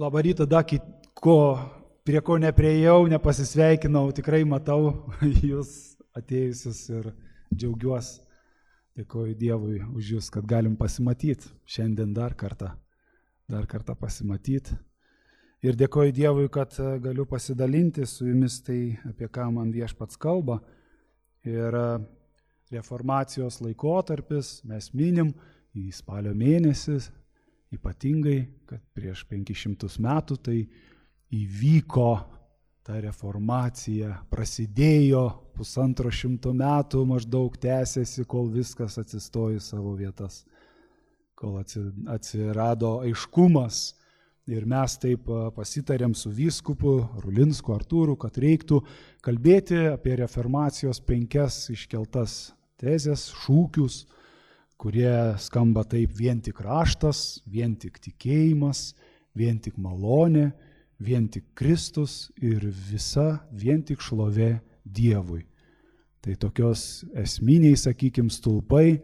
Labą rytą, prie ko nepriejau, nepasisveikinau, tikrai matau jūs atėjusius ir džiaugiuosi. Dėkoju Dievui už jūs, kad galim pasimatyti šiandien dar kartą pasimatyti. Ir dėkoju Dievui, kad galiu pasidalinti su jumis tai, apie ką man Viešpats kalba. Ir reformacijos laikotarpis mes minim į spalio mėnesį, ypatingai, kad prieš 500 metų tai įvyko ta reformacija, prasidėjo 150 metų, maždaug tęsėsi, kol viskas atsistojo į savo vietas, kol atsirado aiškumas. Ir mes taip pasitarėm su vyskupu Rulinsku Artūru, kad reiktų kalbėti apie reformacijos 5 iškeltas tezes, šūkius, kurie skamba taip: vien tik raštas, vien tik tikėjimas, vien tik malonė, vien tik Kristus ir visa vien tik šlovė Dievui. Tai tokios esminiai, sakykim, stulpai,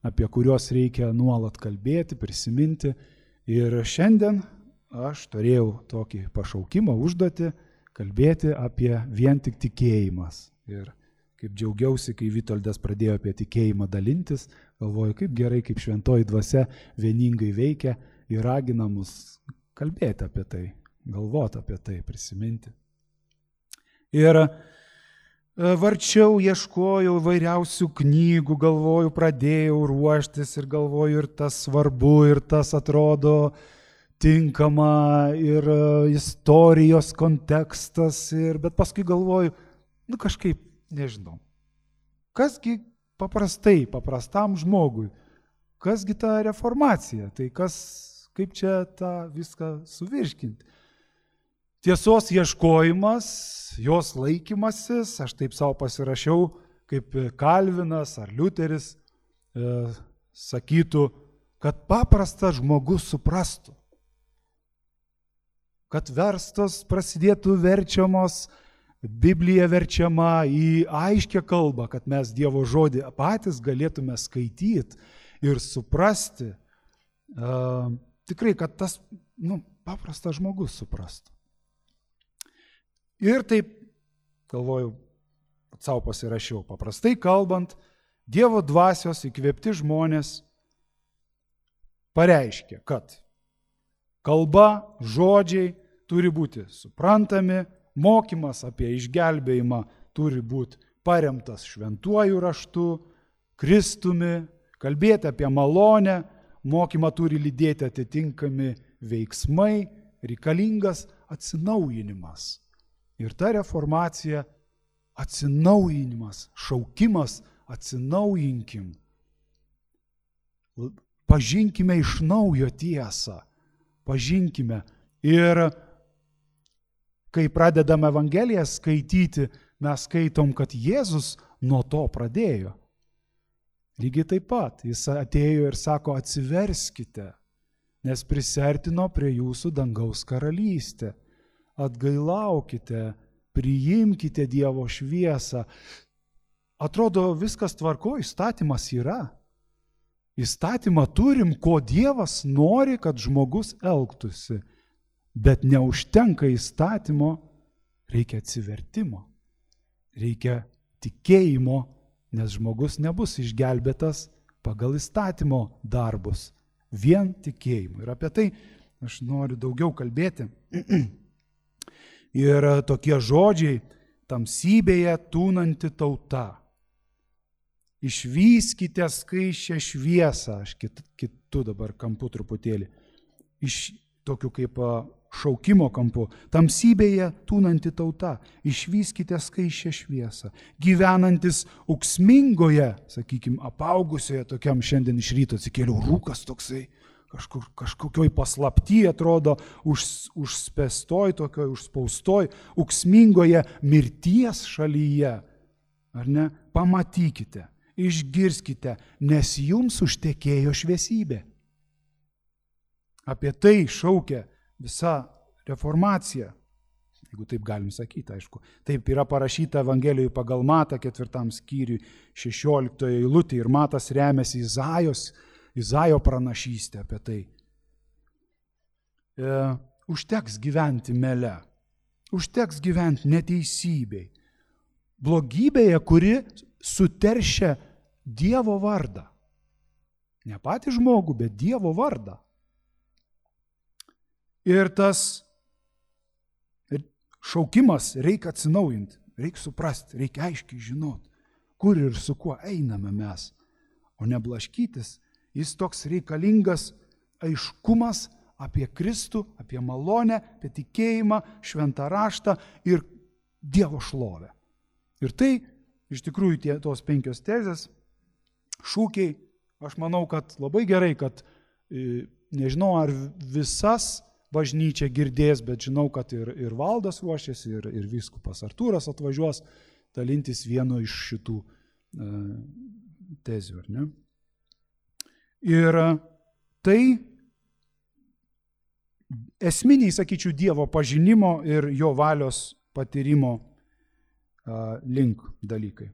apie kuriuos reikia nuolat kalbėti, prisiminti. Ir šiandien aš turėjau tokį pašaukimą, užduotį kalbėti apie vien tik tikėjimas. Ir kaip džiaugiausi, kai Vitoldas pradėjo apie tikėjimą dalintis, galvoju, kaip gerai, kaip šventoji dvasia vieningai veikia ir ragina mus kalbėti apie tai, galvoti apie tai, prisiminti. Ir varčiau, ieškojau vairiausių knygų, galvoju, pradėjau ruoštis ir galvoju, ir tas svarbu, ir tas atrodo tinkama, ir istorijos kontekstas, bet paskui galvoju, kažkaip nežinau, kasgi paprastam žmogui, kasgi ta reformacija, tai kaip čia tą viską suvirškinti. Tiesos ieškojimas, jos laikymasis, aš taip savo pasirašiau, kaip Kalvinas ar Liuteris sakytų, kad paprastas žmogus suprastų, kad verstos prasidėtų verčiamos, Biblija verčiama į aiškę kalbą, kad mes Dievo žodį patys galėtume skaityti ir suprasti, tikrai, kad tas paprastas žmogus suprastų. Ir taip, galvoju, savo pasirašiau, paprastai kalbant, Dievo dvasios įkvėpti žmonės pareiškia, kad kalba, žodžiai turi būti suprantami, mokymas apie išgelbėjimą turi būti paremtas šventuoju raštu, Kristumi, kalbėti apie malonę, mokymą turi lydėti atitinkami veiksmai, reikalingas atsinaujinimas. Ir ta reformacija atsinaujinimas, šaukimas, atsinaujinkim. Pažinkime iš naujo tiesą, pažinkime. Ir kai pradedame Evangeliją skaityti, mes skaitom, kad Jėzus nuo to pradėjo. Lygiai taip pat, jis atėjo ir sako, atsiverskite, nes prisiartino prie jūsų dangaus karalystė. Atgailaukite, priimkite Dievo šviesą. Atrodo, viskas tvarko, įstatymas yra. Įstatymą turim, ko Dievas nori, kad žmogus elgtųsi. Bet neužtenka įstatymo, reikia atsivertimo, reikia tikėjimo, nes žmogus nebus išgelbėtas pagal įstatymo darbus, vien tikėjimu. Ir apie tai aš noriu daugiau kalbėti. Ir tokie žodžiai: tamsybėje tūnanti tauta, išvyskite skaisčią šviesą, aš kitu dabar kampu truputėlį, iš tokiu kaip šaukimo kampu, tamsybėje tūnanti tauta, išvyskite skaisčią šviesą, gyvenantis ūksmingoje, sakykime, apaugusioje, tokiam šiandien iš ryto atsikėliau rūkas toksai, kažkokioj paslapty atrodo, užspęstoj, tokioj užspaustoj, ūksmingoje mirties šalyje, ar ne, pamatykite, išgirskite, nes jums užtekėjo šviesybė. Apie tai šaukia visa reformacija, jeigu taip galim sakyti, aišku. Taip yra parašyta Evangelijoje pagal Matą 4 skyriui 16 eilutė ir Matas remiasi Izaijo pranašystę apie tai. užteks gyventi mele, užteks gyventi neteisybei, blogybėje, kuri suteršia Dievo vardą. Ne patį žmogų, bet Dievo vardą. Ir tas šaukimas reikia atsinaujinti, reikia suprasti, reikia aiškiai žinoti, kur ir su kuo einame mes, o ne blaškytis. Jis toks reikalingas aiškumas apie Kristų, apie malonę, apie tikėjimą, šventą raštą ir Dievo šlovę. Ir tai, iš tikrųjų, tos 5 tezės, šūkiai, aš manau, kad labai gerai, kad nežinau, ar visas bažnyčia girdės, bet žinau, kad ir valdas ruošiasi, ir vyskupas Artūras atvažiuos dalintis vienu iš šitų tezių, ar ne? Ir tai esminiai, sakyčiau, Dievo pažinimo ir jo valios patyrimo link dalykai.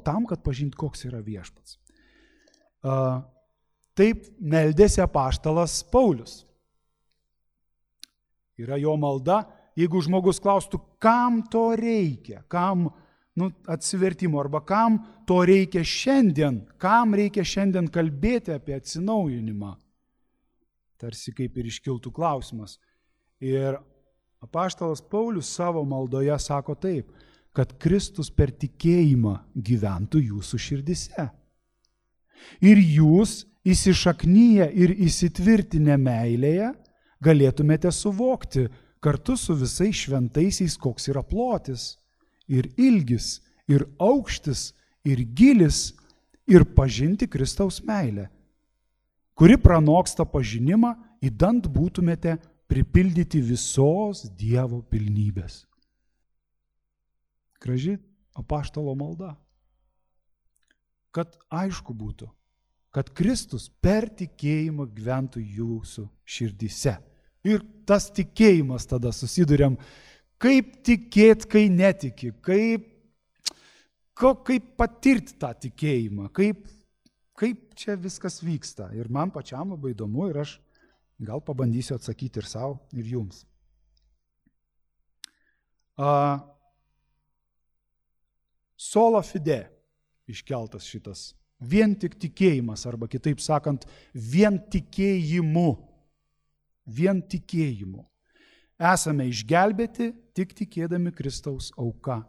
Tam, kad pažinti, koks yra viešpats. Taip meldėsi apaštalas Paulius. Yra jo malda, jeigu žmogus klaustų, kam to reikia, kam atsivertimo, arba kam to reikia šiandien, kam reikia šiandien kalbėti apie atsinaujinimą. Tarsi kaip ir iškiltų klausimas. Ir apaštalas Paulius savo maldoje sako taip, kad Kristus per tikėjimą gyventų jūsų širdise. Ir jūs įsišaknyję ir įsitvirtinę meilėje galėtumėte suvokti kartu su visais šventaisiais, koks yra plotis, ir ilgis, ir aukštis, ir gilis, ir pažinti Kristaus meilę, kuri pranoksta pažinimą, idant būtumėte pripildyti visos Dievo pilnybės. Graži apaštalo malda. Kad aišku būtų, kad Kristus per tikėjimą gyventų jūsų širdyse. Ir tas tikėjimas tada susiduriam, kaip tikėti, kai netiki, kaip patirti tą tikėjimą, kaip čia viskas vyksta. Ir man pačiam labai įdomu ir aš gal pabandysiu atsakyti ir savo, ir jums. Sola fide iškeltas šitas. Vien tik tikėjimas, arba kitaip sakant, vien tikėjimu. Vien tikėjimu. Esame išgelbėti tik tikėdami Kristaus auka.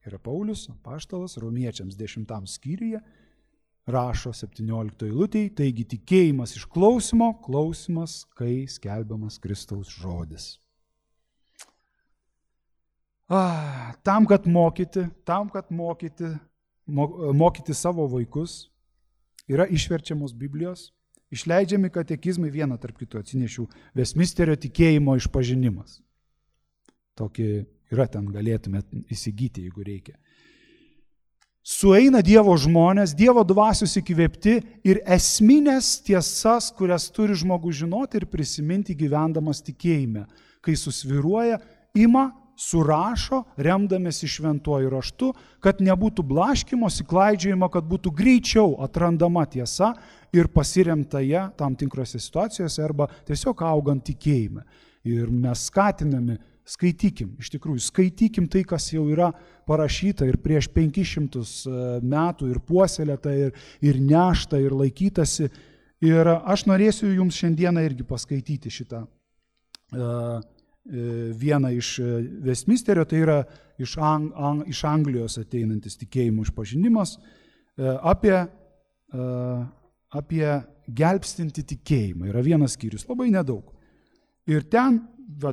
Ir Paulius, apaštalas, Romiečiams 10 skyriuje rašo 17 eilutėje, taigi tikėjimas iš klausimo, klausimas, kai skelbiamas Kristaus žodis. Tam, kad mokyti savo vaikus, yra išverčiamos Biblijos, išleidžiami katekizmai, vieną tarp kitų atsinešiau, Westminsterio tikėjimo išpažinimas. Tokį yra ten, galėtumėt įsigyti, jeigu reikia. Sueina Dievo žmonės, Dievo dvasios įkvėpti ir esminės tiesas, kurias turi žmogus žinoti ir prisiminti gyvendamas tikėjime. Kai susviruoja, ima, surašo, remdamėsi šventuoju raštu, kad nebūtų blaškymosi, klaidžiojimo, kad būtų greičiau atrandama tiesa ir pasiremta ją tam tikrose situacijose arba tiesiog augant tikėjime. Ir mes skatiname, skaitykim, iš tikrųjų, skaitykim tai, kas jau yra parašyta ir prieš 500 metų ir puoselėta ir nešta ir laikytasi. Ir aš norėsiu jums šiandieną irgi paskaityti šitą vieną iš Westminsterio, tai yra iš Anglijos ateinantis tikėjimų išpažinimas apie gelbstinti tikėjimą. Yra vienas skyrius, labai nedaug. Ir ten,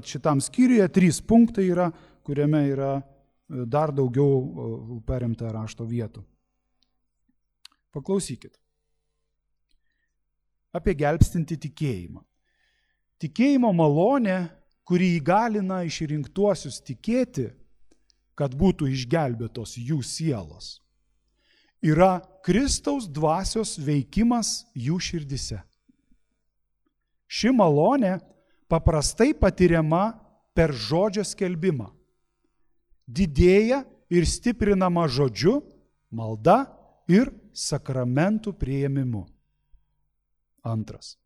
šitam skyriuje 3 punktai yra, kuriame yra dar daugiau paremta rašto vietų. Paklausykit. Apie gelbstinti tikėjimą. Tikėjimo malonė, kuri įgalina išrinktuosius tikėti, kad būtų išgelbėtos jų sielos, yra Kristaus dvasios veikimas jų širdise. Ši malonė paprastai patiriama per žodžio skelbimą. Didėja ir stiprinama žodžiu, malda ir sakramentų priėmimu. Antras.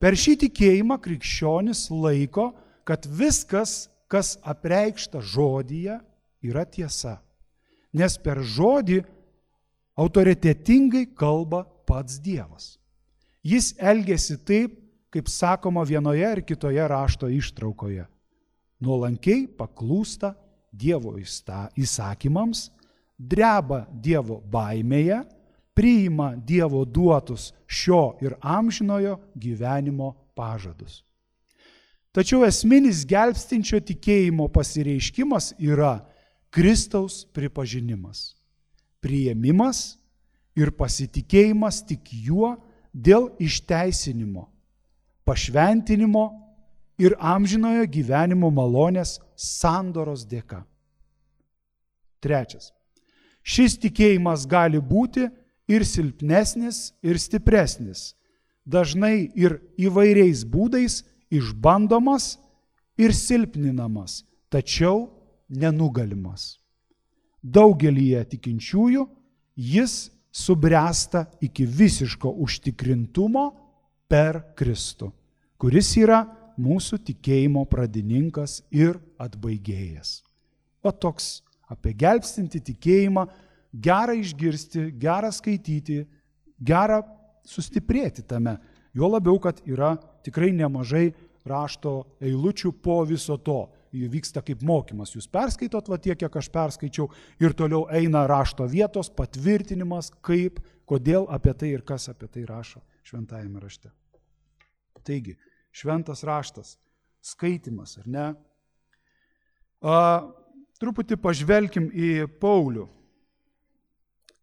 Per šį tikėjimą krikščionis laiko, kad viskas, kas apreikšta žodyje, yra tiesa. Nes per žodį autoritetingai kalba pats Dievas. Jis elgiasi taip, kaip sakoma vienoje ar kitoje rašto ištraukoje. Nuolankiai paklūsta Dievo įsakymams, dreba Dievo baimėje, priima Dievo duotus šio ir amžinojo gyvenimo pažadus. Tačiau esminis gelbstinčio tikėjimo pasireiškimas yra Kristaus pripažinimas, priėmimas ir pasitikėjimas tik juo dėl išteisinimo, pašventinimo ir amžinojo gyvenimo malonės sandoros dėka. 3. Šis tikėjimas gali būti ir silpnesnis, ir stipresnis, dažnai ir įvairiais būdais išbandomas ir silpninamas, tačiau nenugalimas. Daugelyje tikinčiųjų jis subręsta iki visiško užtikrintumo per Kristų, kuris yra mūsų tikėjimo pradininkas ir atbaigėjas. O toks apie gelbstintį tikėjimą, gera išgirsti, gera skaityti, gera sustiprėti tame. Jo labiau, kad yra tikrai nemažai rašto eilučių po viso to. Jų vyksta kaip mokymas. Jūs perskaitot va tiek, kiek aš perskaičiau, ir toliau eina rašto vietos patvirtinimas, kaip, kodėl apie tai ir kas apie tai rašo šventajame rašte. Taigi, šventas raštas, skaitimas, ar ne? Truputį pažvelkim į Paulių.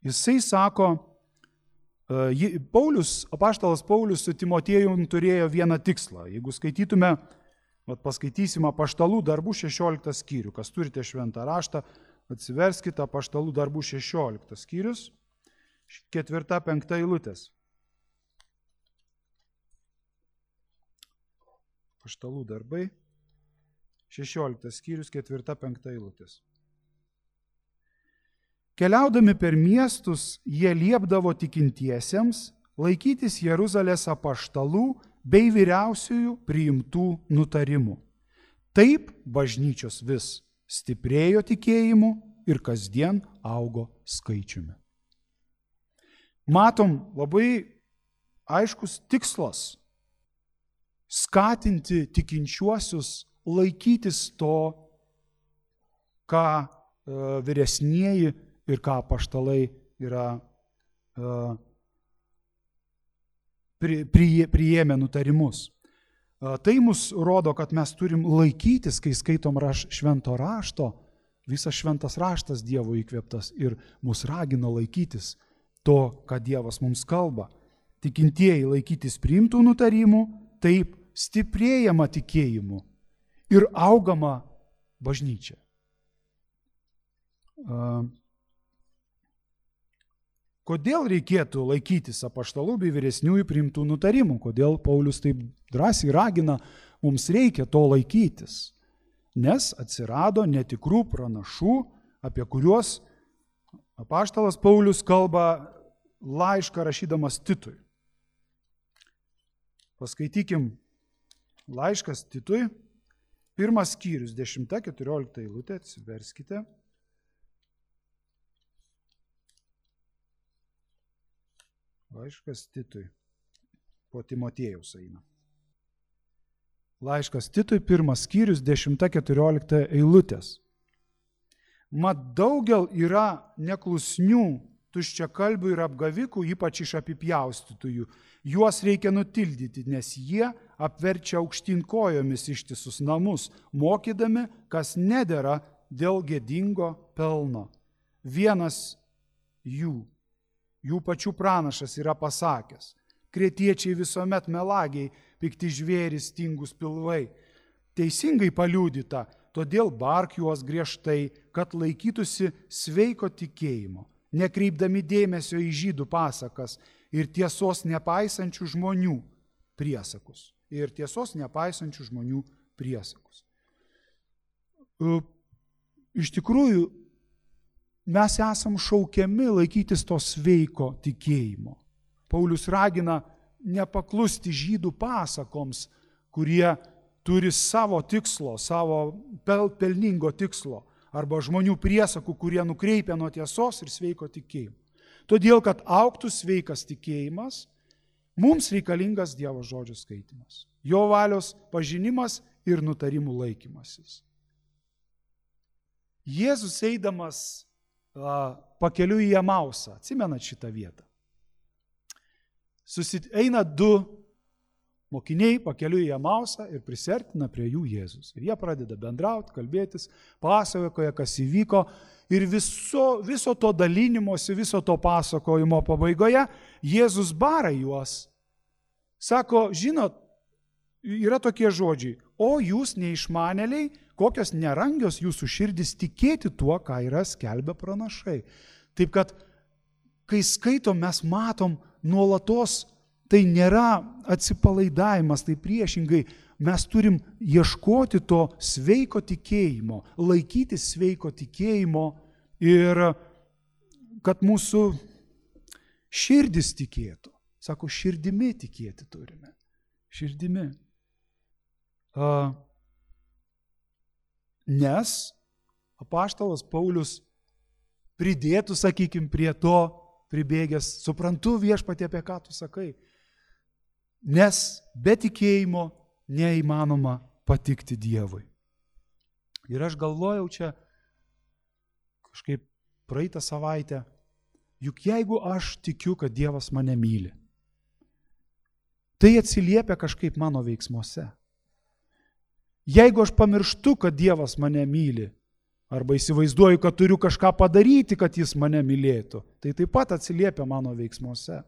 Jisai sako, apaštalas Paulius su Timotiejum turėjo vieną tikslą. Jeigu skaitytume, paskaitysim Apaštalų darbų 16 skyrių. Kas turite šventą raštą, atsiverskite Apaštalų darbų 16 skyrius, 4-5 eilutės. Apaštalų darbai, 16 skyrius, 4-5 eilutės. Keliaudami per miestus, jie liepdavo tikintiesiems laikytis Jeruzalės apaštalų bei vyriausiųjų priimtų nutarimų. Taip bažnyčios vis stiprėjo tikėjimu ir kasdien augo skaičiumi. Matom labai aiškus tikslas skatinti tikinčiuosius laikytis to, ką vyresnieji ir ką apaštalai yra priėmė nutarimus. Tai mus rodo, kad mes turim laikytis, kai skaitom švento rašto, visas šventas raštas Dievo įkvėptas ir mus ragina laikytis to, ką Dievas mums kalba. Tikintieji laikytis priimtų nutarimų, taip stiprėjama tikėjimu ir augama bažnyčia. Kodėl reikėtų laikytis apaštalų bei vyresniųjų priimtų nutarimų? Kodėl Paulius taip drąsiai ragina, mums reikia to laikytis? Nes atsirado netikrų pranašų, apie kuriuos apaštalas Paulius kalba laišką rašydamas Titui. Paskaitykim laiškas Titui, 1 skyrius, 10-14 eilutė, atsiverskite. Laiškas Titui, po Timotiejaus eina. Laiškas Titui, 1 skyrius, 10-14 eilutės. Mat daugel yra neklusnių, tuščiakalbių ir apgavikų, ypač iš apipjaustytųjų. Juos reikia nutildyti, nes jie apverčia aukštyn kojomis ištisus namus, mokydami, kas nedera dėl gėdingo pelno. Vienas jų pačių pranašas yra pasakęs: kretiečiai visuomet melagiai, pikti žvėrys, tingus pilvai. Teisingai paliudyta, todėl bark juos griežtai, kad laikytųsi sveiko tikėjimo, nekreipdami dėmesio į žydų pasakas ir tiesos nepaisančių žmonių priesakus. Iš tikrųjų, mes esam šaukiami laikytis to sveiko tikėjimo. Paulius ragina nepaklusti žydų pasakoms, kurie turi savo tikslo, savo pelningo tikslo, arba žmonių priesakų, kurie nukreipia nuo tiesos ir sveiko tikėjimo. Todėl, kad augtų sveikas tikėjimas, mums reikalingas Dievo žodžio skaitimas, jo valios pažinimas ir nutarimų laikymasis. Jėzus eidamas pakeliui į Emausą, atsimenat šitą vietą. Eina du mokiniai pakeliui į Emausą ir prisiartina prie jų Jėzus. Ir jie pradeda bendrauti, kalbėtis, pasakoja, kas įvyko. Ir viso to dalinimosi, viso to pasakojimo pabaigoje Jėzus bara juos. Sako, žinot, yra tokie žodžiai, o jūs neišmanėliai, kokios nerangios jūsų širdis tikėti tuo, ką yra skelbę pranašai. Taip kad, kai skaitom, mes matom nuolatos, tai nėra atsipalaidavimas, tai priešingai mes turim ieškoti to sveiko tikėjimo, laikyti sveiko tikėjimo ir kad mūsų širdis tikėtų. Sako, širdimi tikėti turime. Širdimi. Nes apaštalas Paulius pridėtų, sakykime, prie to pribėgęs, suprantu viešpatie, apie ką tu sakai, nes be tikėjimo neįmanoma patikti Dievui. Ir aš galvojau čia kažkaip praeitą savaitę, juk jeigu aš tikiu, kad Dievas mane myli, tai atsiliepia kažkaip mano veiksmuose. Jeigu aš pamirštu, kad Dievas mane myli, arba įsivaizduoju, kad turiu kažką padaryti, kad jis mane mylėtų, tai taip pat atsiliepia mano veiksmuose.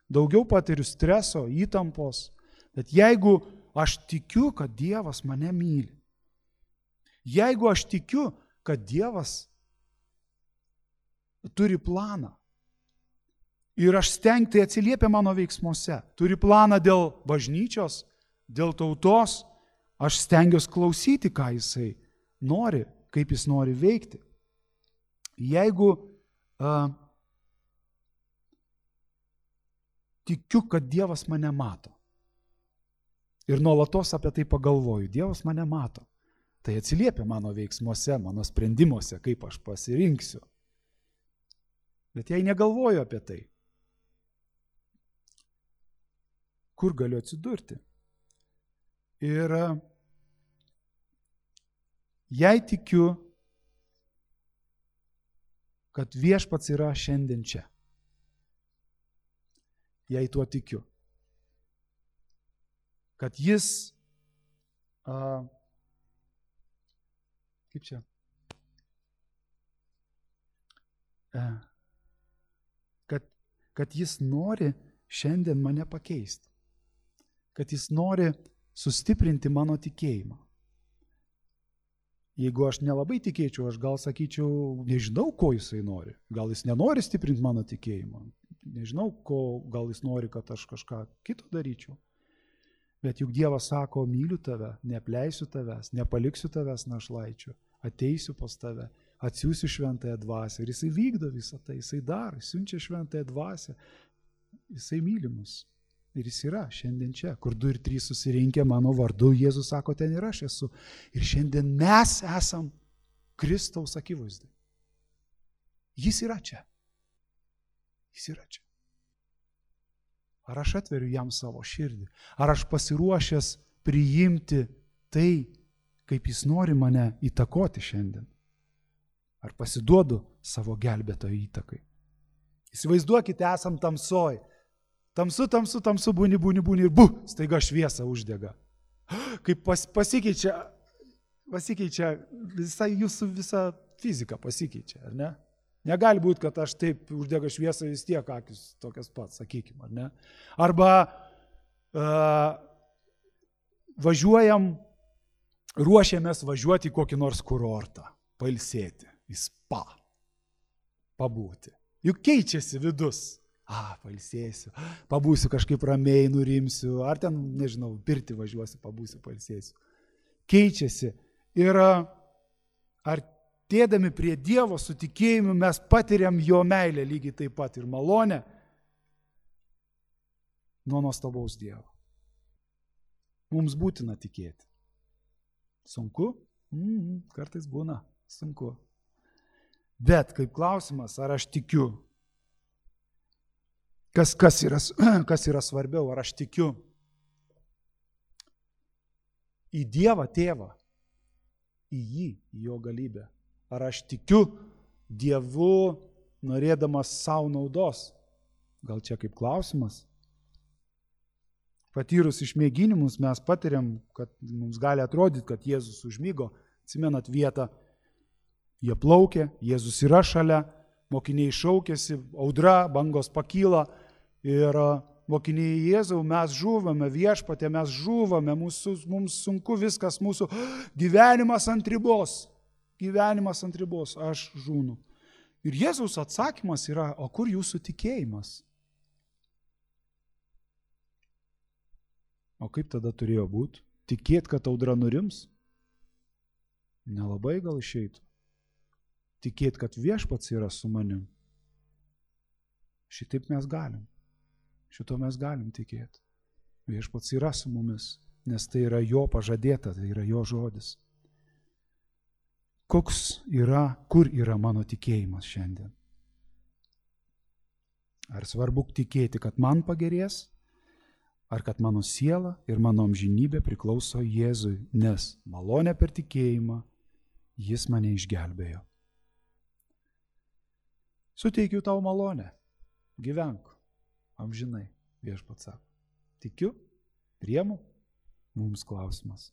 Daugiau patiriu streso, įtampos, bet jeigu aš tikiu, kad Dievas mane myli, jeigu aš tikiu, kad Dievas turi planą, ir aš tai atsiliepia mano veiksmuose, turi planą dėl bažnyčios, dėl tautos, aš stengiuosi klausyti, ką jisai nori, kaip jis nori veikti. Jeigu tikiu, kad Dievas mane mato ir nuolatos apie tai pagalvoju, Dievas mane mato, tai atsiliepia mano veiksmuose, mano sprendimuose, kaip aš pasirinksiu. Bet jei negalvoju apie tai, kur galiu atsidurti? Ir jei tikiu, kad viešpats yra šiandien čia, jei tuo tikiu, kad jis, kad jis nori šiandien mane pakeisti, kad jis nori sustiprinti mano tikėjimą. Jeigu aš nelabai tikėčiau, aš gal sakyčiau, nežinau, ko jisai nori. Gal jis nenori stiprinti mano tikėjimą. Nežinau, gal jis nori, kad aš kažką kito daryčiau. Bet juk Dievas sako, myliu tave, neapleisiu tavęs, nepaliksiu tavęs našlaičiu, ateisiu pas tave, atsiųsiu šventąją dvasią. Ir jisai vykdo visą tai, jisai daro, siunčia šventąją dvasią, jisai myli mus. Ir jis yra šiandien čia, kur 2 ir 3 susirinkę mano vardu, Jėzus sako, ten ir aš esu. Ir šiandien mes esam Kristaus akivaizdai. Jis yra čia. Jis yra čia. Ar aš atveriu jam savo širdį? Ar aš pasiruošęs priimti tai, kaip jis nori mane įtakoti šiandien? Ar pasiduodu savo gelbėtojo įtakai? Įsivaizduokite, esam tamsoj. Tamsu, būni ir staiga šviesa uždega. Kaip pasikeičia jūsų visa fizika pasikeičia, ar ne? Negali būti, kad aš taip uždega šviesą vis tiek akis tokias pats, sakykime, ar ne? Arba ruošiamės važiuoti į kokį nors kurortą, pailsėti, į spa, pabūti. Juk keičiasi vidus. Pailsėsiu, pabūsiu kažkaip ramiai, nurimsiu, ar ten, nežinau, pirtį važiuosiu, pabūsiu, pailsėsiu. Keičiasi. Ir artėdami prie Dievo su tikėjimu mes patiriam jo meilę lygiai taip pat ir malonę. nuo nuostabaus Dievo. Mums būtina tikėti. Sunku? Kartais būna sunku. Bet kaip klausimas, ar aš tikiu? Kas yra svarbiau? Ar aš tikiu į Dievą Tėvą, į jį, į jo galybę? Ar aš tikiu Dievu norėdamas savo naudos? Gal čia kaip klausimas? Patyrus išmėginimus mes patiriam, kad mums gali atrodyti, kad Jėzus užmygo. Atsimenat vietą, jie plaukė, Jėzus yra šalia, mokiniai šaukėsi, audra, bangos pakyla ir mokiniai Jėzau, mes žūvame, Viešpatie, mes žūvame, mums sunku viskas, mūsų gyvenimas ant ribos, aš žūnu. Ir Jėzaus atsakymas yra, o kur jūsų tikėjimas? O kaip tada turėjo būti? Tikėt, kad audra nurims? Nelabai gal išeitų. Tikėt, kad Viešpats yra su manim. Šitaip mes galim. Šito mes galim tikėti. Viešpats yra su mumis, nes tai yra jo pažadėta, tai yra jo žodis. Kur yra mano tikėjimas šiandien? Ar svarbu tikėti, kad man pagerės? Ar kad mano siela ir mano amžinybė priklauso Jėzui, nes malonė per tikėjimą jis mane išgelbėjo. Suteikiu tau malonę, gyvenk amžinai, Viešpats sako. Tikiu, priemu, mums klausimas.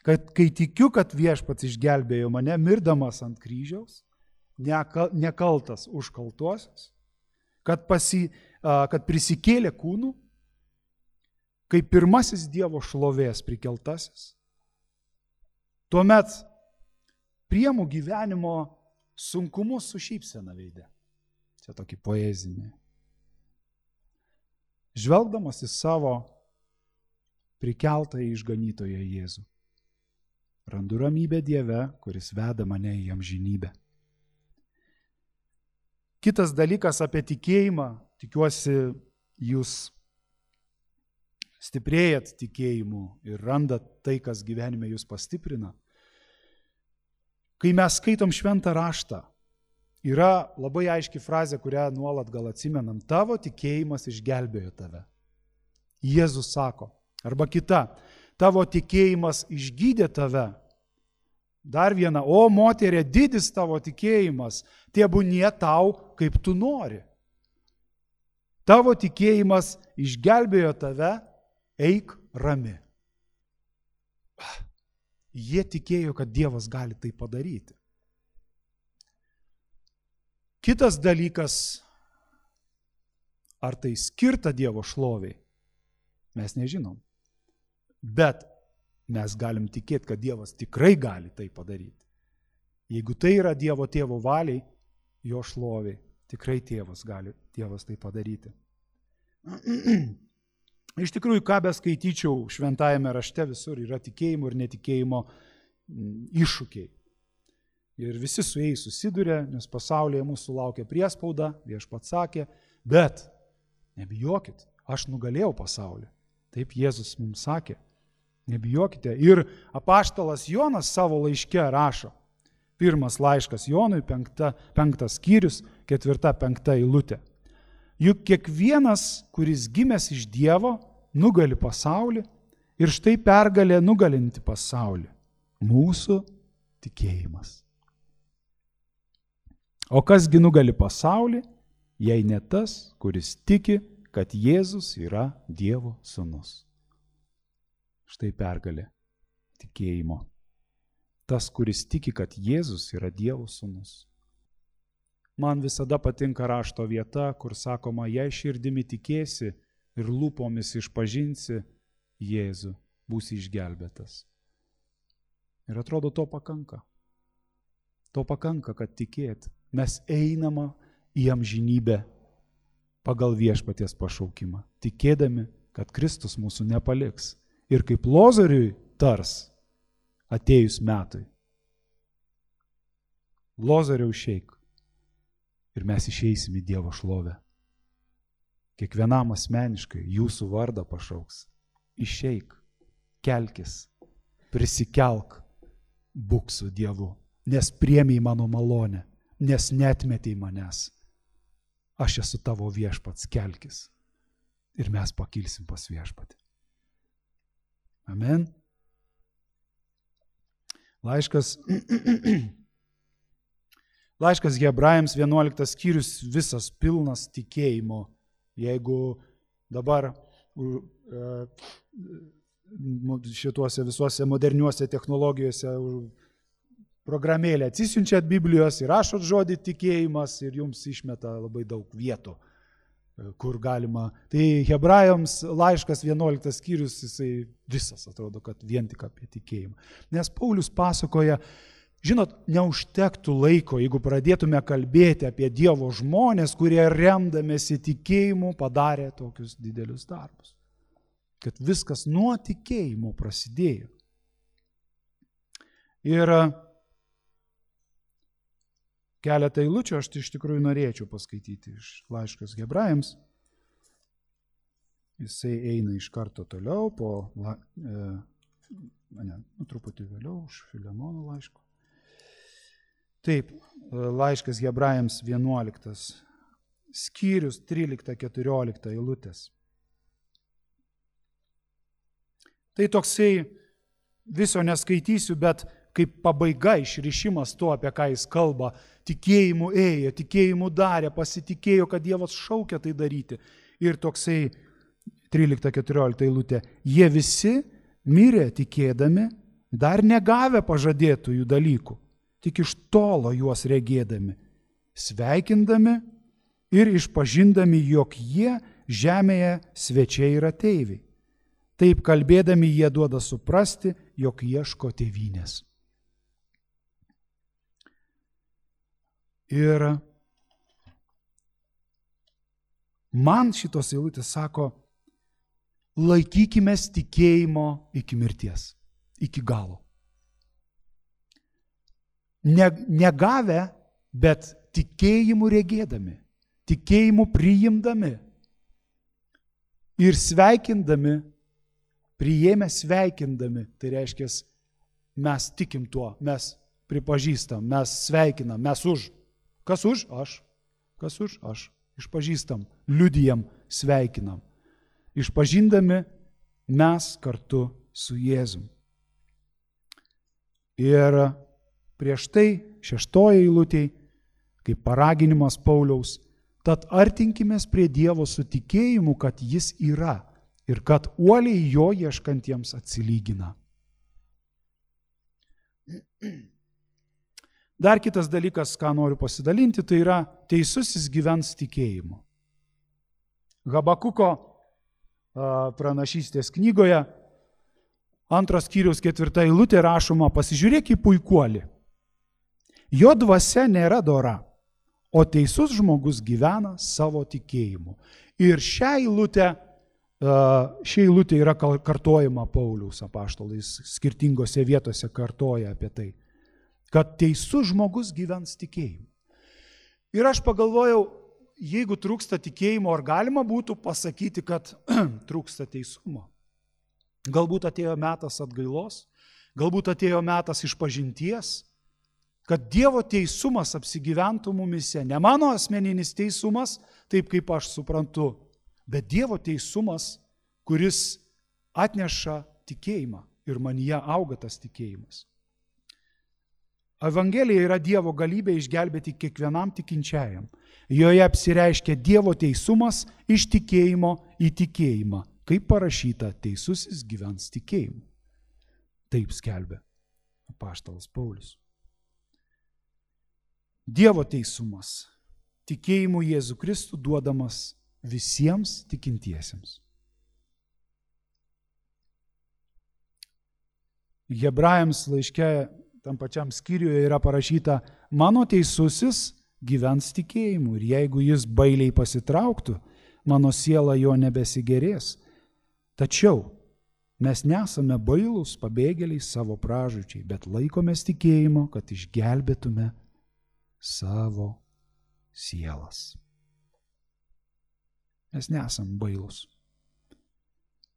Kai tikiu, kad Viešpats išgelbėjo mane, mirdamas ant kryžiaus, nekaltas už kaltuosius, kad prisikėlė kūnų, kaip pirmasis Dievo šlovės prikeltasis, tuomet priemu gyvenimo sunkumus su šypsena veide. Čia tokį poezinį. Žvelgdamas į savo prikeltą išganytoją Jėzų, randu ramybę Dieve, kuris veda mane į amžinybę. Kitas dalykas apie tikėjimą, tikiuosi jūs stiprėjat tikėjimu ir randat tai, kas gyvenime jūs pastiprina. Kai mes skaitom šventą raštą, yra labai aiški frazė, kurią nuolat gal atsimenam. Tavo tikėjimas išgelbėjo tave. Jėzus sako. Arba kita. Tavo tikėjimas išgydė tave. Dar viena. O moterė, didis tavo tikėjimas. Tebūnie tau, kaip tu nori. Tavo tikėjimas išgelbėjo tave. Eik rami. Jie tikėjo, kad Dievas gali tai padaryti. Kitas dalykas, ar tai skirta Dievo šloviai, mes nežinom. Bet mes galim tikėti, kad Dievas tikrai gali tai padaryti. Jeigu tai yra Dievo tėvo valiai, jo šloviai, tikrai Dievas tai padaryti. Iš tikrųjų, ką beskaityčiau šventajame rašte, visur yra tikėjimo ir netikėjimo iššūkiai. Ir visi su jais susiduria, nes pasaulyje mūsų laukia priespauda, Viešpats sakė, bet nebijokit, aš nugalėjau pasaulį. Taip Jėzus mums sakė, nebijokite. Ir apaštalas Jonas savo laiške rašo, pirmas laiškas Jonui, 5 skyrius, 4-5 eilutė. Juk kiekvienas, kuris gimęs iš Dievo, nugali pasaulį ir štai pergalė nugalinti pasaulį. Mūsų tikėjimas. O kasgi nugali pasaulį, jei ne tas, kuris tiki, kad Jėzus yra Dievo sūnus. Štai pergalė tikėjimo. Tas, kuris tiki, kad Jėzus yra Dievo sūnus. Man visada patinka rašto vieta, kur sakoma, jei širdimi tikėsi ir lūpomis išpažinsi Jėzų, būsi išgelbėtas. Ir atrodo, to pakanka. To pakanka, kad tikėt. Mes einama į amžinybę pagal Viešpaties pašaukimą, tikėdami, kad Kristus mūsų nepaliks. Ir kaip Lozoriui tars atėjus metui. Lozoriau išeik. Ir mes išeisim į Dievo šlovę. kiekvienam asmeniškai jūsų vardą pašauks. Išeik, kelkis, prisikelk, būk su Dievu, nes priėmei mano malonę, nes neatmetei manęs. Aš esu tavo viešpats, kelkis. Ir mes pakilsim pas viešpatį. Amen. Laiškas Hebrajams 11 skyrius visas pilnas tikėjimo. Jeigu dabar šituose visuose moderniuose technologijose programėlę atsisiunčiat Biblijos ir rašot žodį tikėjimas ir jums išmeta labai daug vietų, kur galima. Tai Hebrajams laiškas 11 skyrius, jisai visas atrodo, kad vien tik apie tikėjimą. Nes Paulius pasakoja, žinot, neužtektų laiko, jeigu pradėtume kalbėti apie Dievo žmonės, kurie remdamėsi tikėjimu padarė tokius didelius darbus. Kad viskas nuo tikėjimo prasidėjo. Ir keletą eilučių aš iš tikrųjų norėčiau paskaityti iš laiškas Hebrajams. Jisai eina iš karto toliau, truputį vėliau už Filemono laiško. Taip, laiškas Hebrajams 11, skyrius 13-14 eilutės. Tai toksai, viso neskaitysiu, bet kaip pabaiga, išrišimas to, apie ką jis kalba, tikėjimu ėjo, tikėjimu darė, pasitikėjo, kad Dievas šaukia tai daryti. Ir toksai 13-14 eilutė, jie visi mirė tikėdami, dar negavę pažadėtųjų dalykų, tik iš tolo juos regėdami, sveikindami ir išpažindami, jog jie žemėje svečiai ir ateiviai. Taip kalbėdami jie duoda suprasti, jog ieško tėvynės. Ir man šitos eilutės sako, laikykimės tikėjimo iki mirties, iki galo. Negavę, bet tikėjimu regėdami, tikėjimu priimdami ir sveikindami, priėmę sveikindami, tai reiškia, mes tikim tuo, mes pripažįstam, mes sveikinam, mes už. Kas už? Aš. Kas už? Aš. Išpažįstam, liudijam, sveikinam. Išpažindami mes kartu su Jėzum. Ir prieš tai 6 eilutėj, kaip paraginimas Pauliaus, tad artinkimės prie Dievo su tikėjimu, kad jis yra ir kad uoliai jo ieškantiems atsilygina. Dar kitas dalykas, ką noriu pasidalinti, tai yra teisusis gyvens tikėjimu. Habakuko pranašystės knygoje 2 skyriaus 4 eilutė rašoma, pasižiūrėk į puikuolį. Jo dvasia nėra dora, o teisus žmogus gyvena savo tikėjimu. Ir šią eilutę ši eilutė yra kartojama Pauliaus apaštalais, skirtingose vietose kartoja apie tai, kad teisus žmogus gyvens tikėjimu. Ir aš pagalvojau, jeigu trūksta tikėjimo, ar galima būtų pasakyti, kad trūksta teisumo? Galbūt atėjo metas atgailos, galbūt atėjo metas išpažinties, kad Dievo teisumas apsigyventų mumise. Ne mano asmeninis teisumas, taip kaip aš suprantu, bet Dievo teisumas, kuris atneša tikėjimą ir manyje auga tas tikėjimas. Evangelija yra Dievo galybė išgelbėti kiekvienam tikinčiajam. Joje apsireiškia Dievo teisumas iš tikėjimo į tikėjimą, kaip parašyta, teisusis gyvens tikėjimu. Taip skelbia apaštalas Paulius. Dievo teisumas, tikėjimu Jėzų Kristų duodamas visiems tikintiesiems. Hebrajams laiške tam pačiam skyriuje yra parašyta, mano teisusis gyvens tikėjimu ir jeigu jis bailiai pasitrauktų, mano siela jo nebesigerės. Tačiau mes nesame bailūs pabėgėliai savo pražūčiai, bet laikomės tikėjimo, kad išgelbėtume savo sielas. Mes nesam bailūs.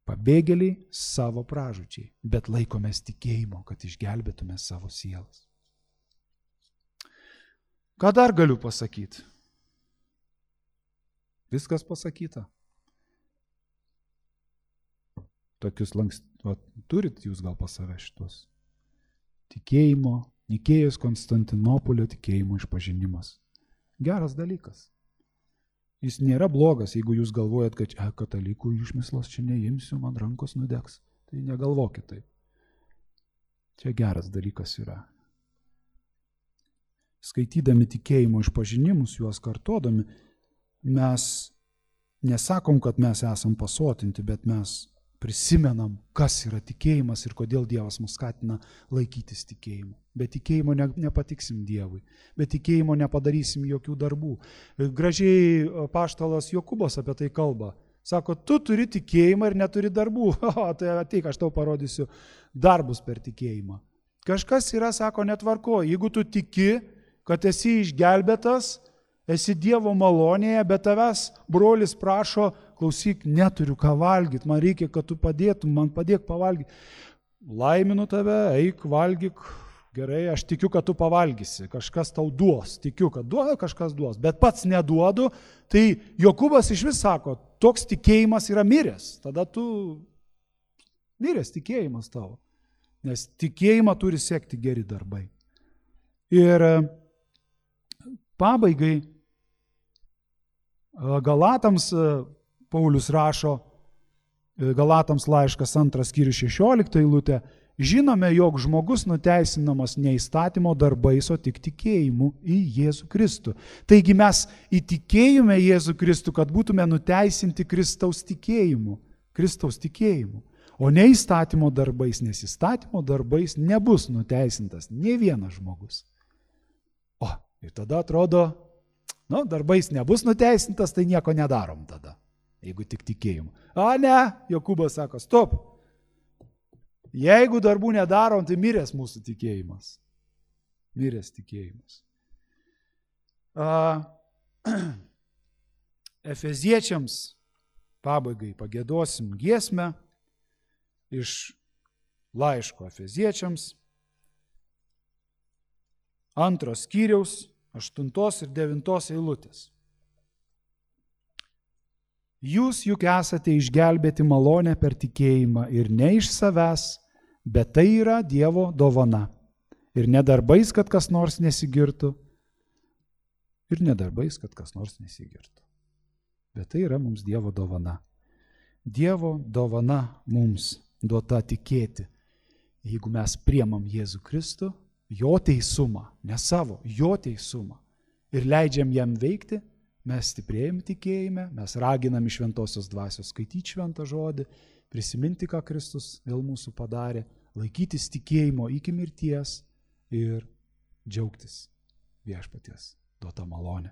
Pabėgėliai savo pražūčiai, bet laikomės tikėjimo, kad išgelbėtume savo sielas. Ką dar galiu pasakyti? Viskas pasakyta. Tokius turit jūs gal pas save šitos. Tikėjimo, Nikėjos Konstantinopolio tikėjimo išpažinimas. Geras dalykas. Jis nėra blogas, jeigu jūs galvojat, kad katalikų išmislas čia neimsiu, man rankos nudegs. Tai negalvokit taip. Čia geras dalykas yra. Skaitydami tikėjimo išpažinimus, juos kartodami, mes nesakom, kad mes esam pasotinti, bet mes prisimenam, kas yra tikėjimas ir kodėl Dievas mus skatina laikytis tikėjimu. Be tikėjimo nepatiksim Dievui, be tikėjimo nepadarysim jokių darbų. Gražiai apaštalas Jokūbas apie tai kalba. Sako, tu turi tikėjimą ir neturi darbų. Tai ateik, aš tau parodysiu darbus per tikėjimą. Kažkas yra, sako, netvarko. Jeigu tu tiki, kad esi išgelbėtas, esi Dievo malonėje, bet tavęs brolis prašo, klausyk, neturiu ką valgyti, man reikia, kad tu padėtum, man padėk pavalgyti. Laiminu tave, eik, valgyk, gerai, aš tikiu, kad tu pavalgysi, kažkas tau duos, tikiu, kad duoda, kažkas duos, bet pats neduodu, tai Jokūbas iš vis sako, toks tikėjimas yra miręs, tada tu miręs tikėjimas tavo, nes tikėjimą turi sekti geri darbai. Ir pabaigai Galatams Paulius rašo, Galatams laiškas 2 skyrius 16 eilutė, žinome, jog žmogus nuteisinamas ne įstatymo darbais, o tik tikėjimu į Jėzų Kristų. Taigi mes įtikėjome Jėzų Kristų, kad būtume nuteisinti Kristaus tikėjimu, o ne įstatymo darbais, nes įstatymo darbais nebus nuteisintas nė vienas žmogus. O, ir tada atrodo, darbais nebus nuteisintas, tai nieko nedarom tada. Jeigu tik tikėjimu. A ne, Jokūbas sako, stop. Jeigu darbų nedarom, tai miręs mūsų tikėjimas. Miręs tikėjimas. Efeziečiams pabaigai pagiedosim giesmę iš laiško Efeziečiams 2 skyriaus 8 ir 9 eilutės. Jūs juk esate išgelbėti malonę per tikėjimą ir ne iš savęs, bet tai yra Dievo dovana. Ir ne darbais, kad kas nors nesigirtų. Bet tai yra mums Dievo dovana. Dievo dovana mums duota tikėti. Jeigu mes priemam Jėzų Kristų, jo teisumą, ne savo, jo teisumą, ir leidžiam jam veikti, mes stiprėjam tikėjime, mes raginam iš šventosios dvasios skaityti šventą žodį, prisiminti, ką Kristus dėl mūsų padarė, laikytis tikėjimo iki mirties ir džiaugtis viešpaties duota malonė.